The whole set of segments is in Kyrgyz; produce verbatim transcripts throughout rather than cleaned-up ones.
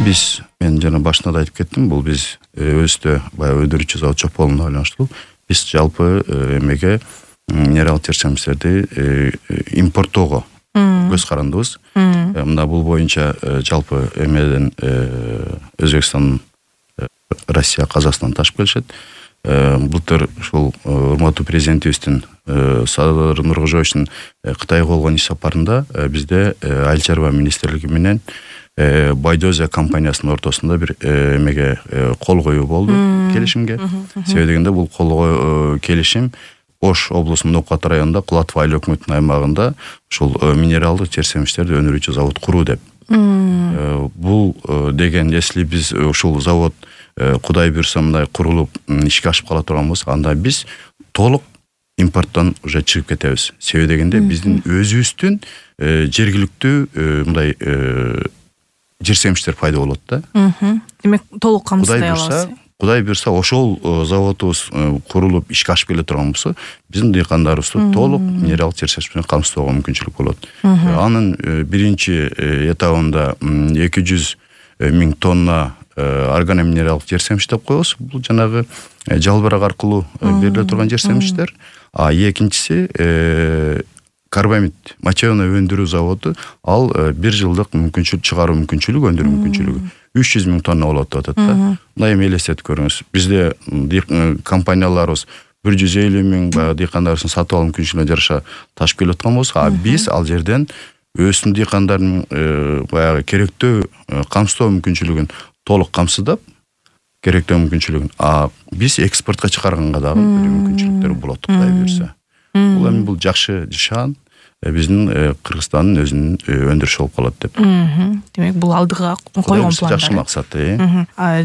Биз мен жана башында да айтып кеттим, бул биз өзүбүздө баягы өндүрүүчү завод жок болгонуна байланыштуу. Биз жалпы эмеге минералдык жер семиздерди импорттоого көз карандыбыз. Мында бул боюнча жалпы эмеден Өзбекстан, Россия, Казакстан ташып келишет. Былтыр ушул урматтуу президентибиздин Садыр Нуркожоевичтин Кытайга болгон иш сапарында бизде Айыл чарба министрлиги менен Байдозия компаниясынын ортосунда бир эмеге кол коюу болду, келишимге. Себеби дегенде бул кол келишим Ош облусунун Нокат районунда Кулатов айыл өкмөтүнүн аймагында ушул минералдык жер семиздерди өндүрүүчү завод куруу деп. Бул деген если биз ушул завод Кудай буйрса мындай курулуп ишке ашып кала турган болсо, анда биз толук импорттон уже чыгып кетебиз. Себеби дегенде биздин өзүбүздүн жергиликтүү мындай жер семиздер пайда болот да. Демек толук камсыздай алабыз. Кудай буйрса ошол заводубуз курулуп ишке ашып келе турган болсо, биздин дыйкандарыбызды толук минералдык жер семиз менен камсыздоого мүмкүнчүлүк болот. Анын биринчи этабында эки жүз миң тонна органоминералдык жер семиз деп коебуз. Бул жанагы жалбырак аркылуу бериле турган жер семиздер. А экинчиси карбамид моченый өндүрүү заводу, ал бир жылдык мүмкүнчүлүк чыгаруу мүмкүнчүлүгү, өндүрүү мүмкүнчүлүгү үч жүз миң тонна болот деп атат да. Мындай эми элестетип көрүңүз. Бизде компанияларыбыз бир жүз элүү миң баягы дыйкандарыбыздын сатып алуу мүмкүнчүлүгүнө жараша ташып келип аткан болсо, а биз ал жерден өзүнүн дыйкандардын баягы керектөө камсыздоо мүмкүнчүлүгүн толук камсыздап, керектөө мүмкүнчүлүгүн, а биз экспортко чыгарганга дагы мүмкүнчүлүктөр болот, Кудай буйрса. Бул эми бул жакшы жашан биздин Кыргызстандын өзүнүн өндүрүшү болуп калат деп. Демек бул алдыга койгон план. Жакшы максат.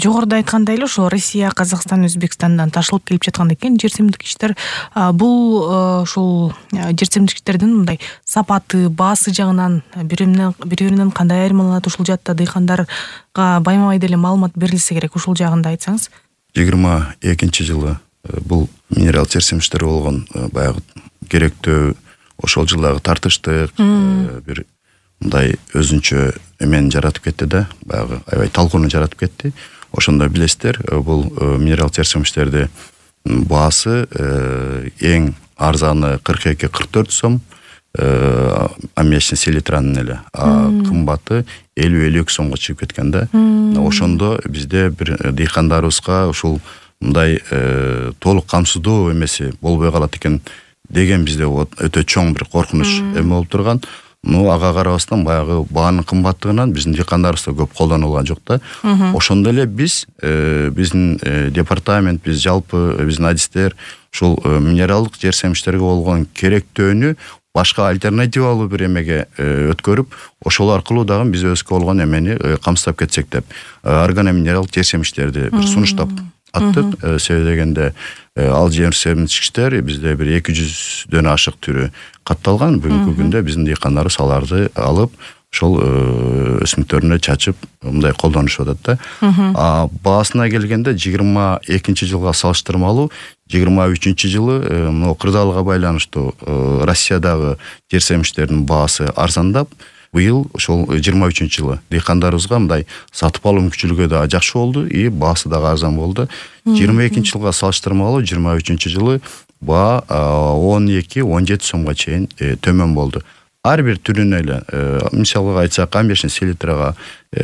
Жогоруда айткандай эле ошо Россия, Казакстан, Өзбекстандан ташылып келип жаткан экен жер семиздиктер. Бул ушул жер семиздиктердин мындай сапаты, баасы жагынан бири-биринен кандай айырмаланат, ушул жакта дыйкандарга байма-бай деле маалымат берилсе керек, ушул жагында айтсаңыз. жыйырма экинчи жылы бул минерал жер семиздер болгон баягы керектөө ошол жылдагы тартыштык бир мындай өзүнчө эмени жаратып кетти да, баягы аябай талкууну жаратып кетти. Ошондо билесиздер, бул минерал жер семиздерди баасы эң арзаны кырк эки кырк төрт сом, аммиачный селитранын эле, а кымбаты элүү элүү эки сомго чыгып кеткен да. Ошондо бизде бир дыйкандарыбызга ушул мындай толук камсыздоо эмеси болбой калат экен деген бизде өтө чоң бир коркунуч эме болуп турган. Ну ага карабастан баягы баанын кымбаттыгынан биздин дыйкандарыбыз да көп колдонулган жок да. Ошондо эле биз биздин департамент, биз жалпы биздин адистер ушул минералдык жер семиздерге болгон керектөөнү башка альтернативалуу бир эмеге өткөрүп, ошол аркылуу дагы биз өзгө болгон эмени камсыздап кетсек деп, органоминералдык жер семиздерди бир сунуштап аттык. Себеби дегенде ал жер семиздер бизде бир эки жүздөн ашык түрү катталган. Бүгүнкү күндө биздин дыйкандарыбыз аларды алып, ошол өсүмдүктөрүнө чачып, мындай колдонушуп атат да. А баасына келгенде жыйырма экинчи жылга салыштырмалуу жыйырма үчүнчү жылы мына кырдаалга байланыштуу Россиядагы жер семиздердин баасы арзандап, быйыл ошол жыйырма үчүнчү жылы дыйкандарыбызга мындай сатып алуу мүмкүнчүлүгү да жакшы болду, и баасы дагы арзан болду. жыйырма экинчи жылга салыштырмалуу жыйырма үчүнчү жылы баа он эки он жети сомго чейин төмөн болду. Ар бир түрүнө эле, мисалга айтсак, аммиачный селитрага,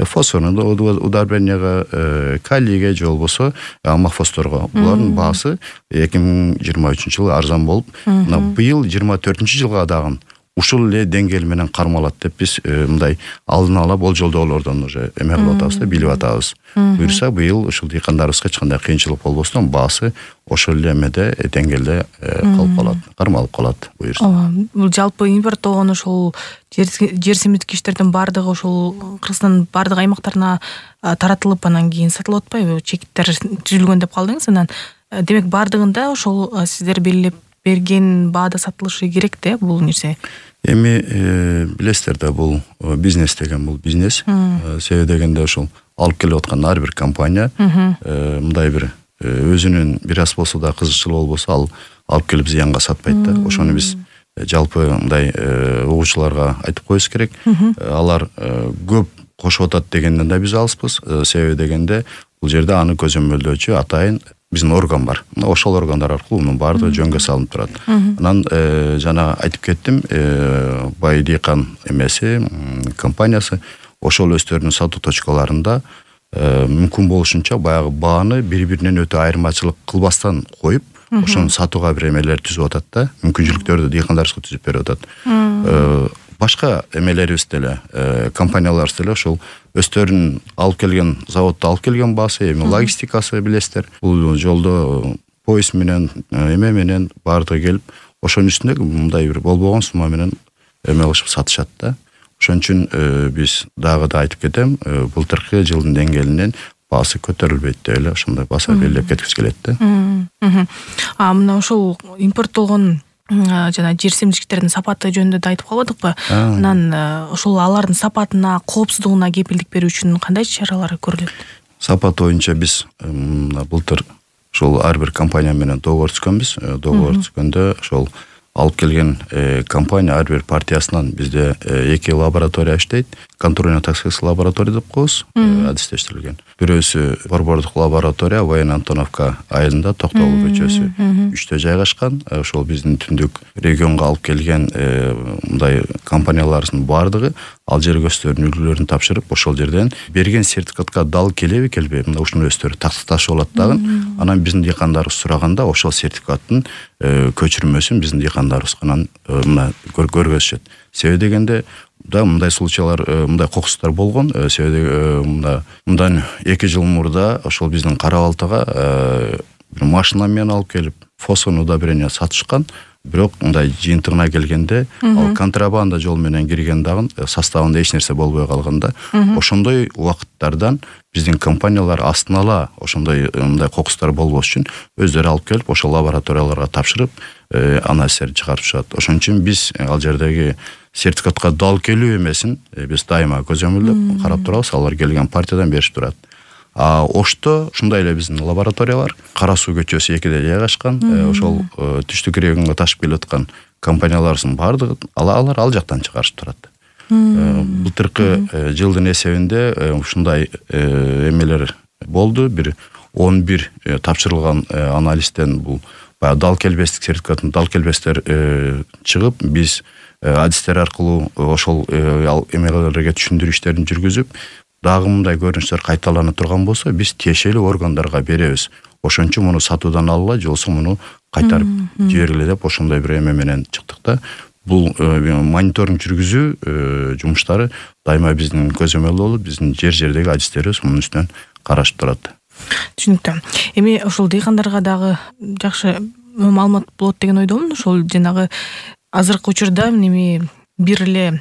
фосфорный удобренияга, калийге же болбосо аммофосфорго, булардын баасы эки миң жыйырма үчүнчү жылы арзан болуп, мына быйыл жыйырма төртүнчү жылга дагы ушул эле деңгээл менен кармалат деп биз мындай алдын ала болжолдоолордон уже эме кылып атабыз да, билип атабыз. Буйрса быйыл ушул дыйкандарыбызга эч кандай кыйынчылык болбостон баасы ошол эле эмеде деңгээлде калып калат, кармалып калат буйрса. Ооба, бул жалпы импорттогон ошол жер семиздиктердин баардыгы ошол Кыргызстандын баардык аймактарына таратылып, анан кийин сатылып атпайбы? Чекиттер түзүлгөн деп калдыңыз, анан демек баардыгында ошол сиздер белгилеп берген баада сатылышы керек да бул нерсе. Эми билесиздер да, бул бизнес деген бул бизнес. Себеби дегенде ошол алып келип аткан ар бир компания мындай бир өзүнүн бир аз болсо да кызыкчылыгы болбосо ал алып келип зыянга сатпайт да. Ошону биз жалпы мындай угуучуларга айтып коюбуз керек. Алар көп кошуп атат дегенден да биз алыспыз. Себеби дегенде бул жерде аны көзөмөлдөөчү атайын биздин орган бар. Ошол органдар аркылуу мунун баардыгы жөнгө салынып турат. Анан жана айтып кеттим, Бай Дыйкан эмеси компаниясы ошол өздөрүнүн сатуу точкаларында мүмкүн болушунча баягы бааны бири-биринен өтө айырмачылык кылбастан коюп, ошону сатууга бир эмелер түзүп атат да, мүмкүнчүлүктөрдү дыйкандарыбызга түзүп берип атат. Башка эмелерибиз деле, компанияларыбыз деле ошол өздөрүнүн алып келген, заводдо алып келген баасы, эми логистикасы билесиздер. Бул жолдо поезд менен, эме менен баардыгы келип, ошонун үстүндө мындай бир болбогон сумма менен эме кылышып сатышат да. Ошон үчүн биз дагы да айтып кетем, былтыркы жылдын деңгээлинен баасы көтөрүлбөйт деп эле ошондой баса белгилеп кеткибиз келет да. А мына ошол импорттолгон жана жер семчиликтердин сапаты жөнүндө да айтып калбадыкпы? Анан ошол алардын сапатына, коопсуздугуна кепилдик берүү үчүн кандай чаралар көрүлөт? Сапат боюнча биз былтыр ошол ар бир компания менен договор түзгөнбүз. Договор түзгөндө ошол алып келген компания ар бир партиясынан бизде эки лаборатория иштейт. Контрольно-токсикологический лаборатория деп коебуз, адистештирилген. Бирөөсү борбордук лаборатория Воен Антоновка айылында Токтогул көчөсү үчтө жайгашкан. Ошол биздин түндүк регионго алып келген мындай компанияларыбыздын баардыгы ал жерге өздөрүнүн үлгүлөрүн тапшырып, ошол жерден берген сертификатка дал келеби келбейби, мында ушуну өздөрү тактыкташып алат дагы. Анан биздин дыйкандарыбыз сураганда ошол сертификаттын көчүрмөсүн биздин дыйкандарыбызга мына көргөзүшөт. Себеби дегенде да мындай случайлар, мындай кокустар болгон. Себеби мында мындан эки жыл мурда ошол биздин Кара Балтага бир машина менен алып келип фосфорный удобрение сатышкан. Бирок мындай жыйынтыгына келгенде ал контрабанда жол менен кирген дагы составында эч нерсе болбой калганда, ошондой убакыттардан биздин компаниялар астын ала ошондой мындай кокустар болбош үчүн өздөрү алып келип ошол лабораторияларга тапшырып анализдерди чыгарып чыгат. Ошон үчүн биз ал жердеги сертификатка дал келүү эмесин биз дайыма көзөмөлдөп карап турабыз. Алар келген партиядан беришип турат. А Ошто ушундай эле биздин лаборатория бар. Кара Суу көчөсү экиде жайгашкан. Ошол түштүк регионго ташып келип аткан компанияларыбыздын баардыгы алар ал жактан чыгарышып турат. Былтыркы жылдын эсебинде ушундай эмелер болду. Бир он бир тапшырылган анализден бул баягы дал келбестик сертификатын дал келбестер чыгып, биз адистер аркылуу ошол эмелерге түшүндүрүү иштерин жүргүзүп, дагы мындай көрүнүштөр кайталана турган болсо, биз тиешелүү органдарга беребиз. Ошон үчүн муну сатуудан алгыла, же болбосо муну кайтарып жибергиле деп ошондой бир эме менен чыктык да. Бул мониторинг жүргүзүү жумуштары дайыма биздин көзөмөлдө болуп, биздин жер-жердеги адистерибиз мунун үстүнөн карашып турат. Түшүнүктүү. Эми ошол дыйкандарга дагы жакшы маалымат болот деген ойдомун. Ошол жанагы азыркы учурда эми бир эле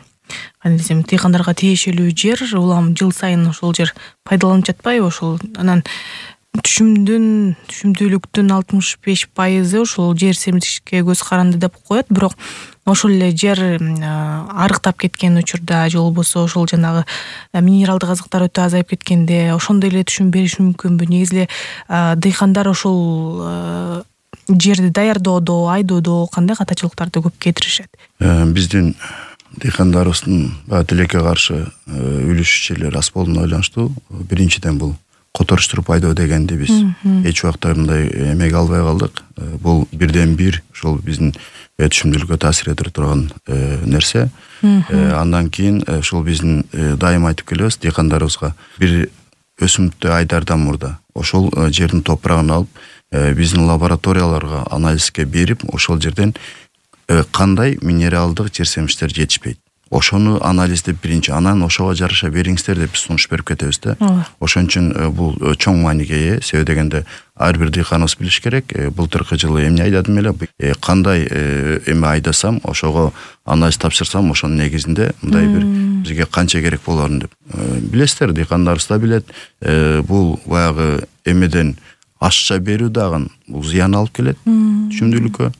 кандай десем, дыйкандарга тиешелүү жер улам жыл сайын ошол жер пайдаланып жатпайбы? Ошол анан түшүмдүн түшүмдүүлүктүн алтымыш беш пайызы ошол жер семчиликке көз каранды деп коет. Бирок ошол эле жер арыктап кеткен учурда, же болбосо ошол жанагы минералдык азыктар өтө азайып кеткенде ошондой эле түшүм бериш мүмкүнбү? Негизи эле дыйкандар ошол жерди даярдоодо, айдоодо кандай катачылыктарды көп кетиришет? Биздин дыйкандарыбыздын тилекке каршы үлүшчүлөр аз болуна байланыштуу. Биринчиден бул которуштуруп айдоо дегенди биз эч убакта мындай эмеге албай калдык. Бул бирден бир ошол биздин түшүмдүүлүккө таасир этип турган нерсе. Андан кийин ошол биздин дайыма айтып келебиз дыйкандарыбызга, бир өсүмдүктү айдардан мурда ошол жердин топурагын алып, биздин лабораторияларга анализге берип, ошол жерден кандай минералдык жер семчиликтер жетишпейт, ошону анализдеп биринчи, анан ошого жараша бериңиздер деп биз сунуш берип кетебиз да. Ошон үчүн бул чоң мааниге ээ. Себеби дегенде ар бир дыйканыбыз билиш керек, былтыркы жылы эмне айдадым эле, кандай эме айдасам, ошого анализ тапшырсам, ошонун негизинде мындай бир бизге канча керек болорун деп. Билесиздер, дыйкандарыбыз да билет, бул баягы эмеден ашча берүү дагы бул зыян алып келет түшүмдүүлүккө,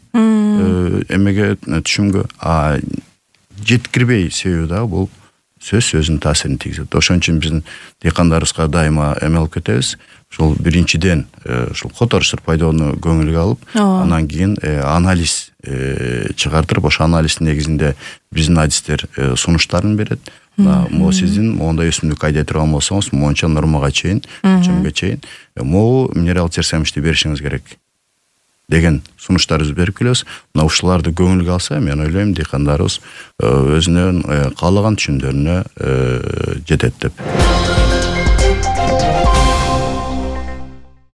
эмеге түшүмгө. А жеткирбей себеби дагы бул сөзсүз өзүнүн таасирин тийгизет. Ошон үчүн биздин дыйкандарыбызга дайыма эме алып кетебиз. Ушул биринчиден ушул которуштар пайда болууну көңүлгө алып, анан кийин анализ чыгартырып, ошо анализдин негизинде биздин адистер сунуштарын берет. Могу сиздин моундай өсүмдүк айдай турган болсоңуз, моунча нормага чейин, өлчөмгө чейин могу минерал терсемишти беришиңиз керек деген сунуштарыбызды берип келебиз. Мына ушуларды көңүлгө алса, мен ойлойм дыйкандарыбыз өзүнүн каалаган түшүмдөрүнө жетет деп.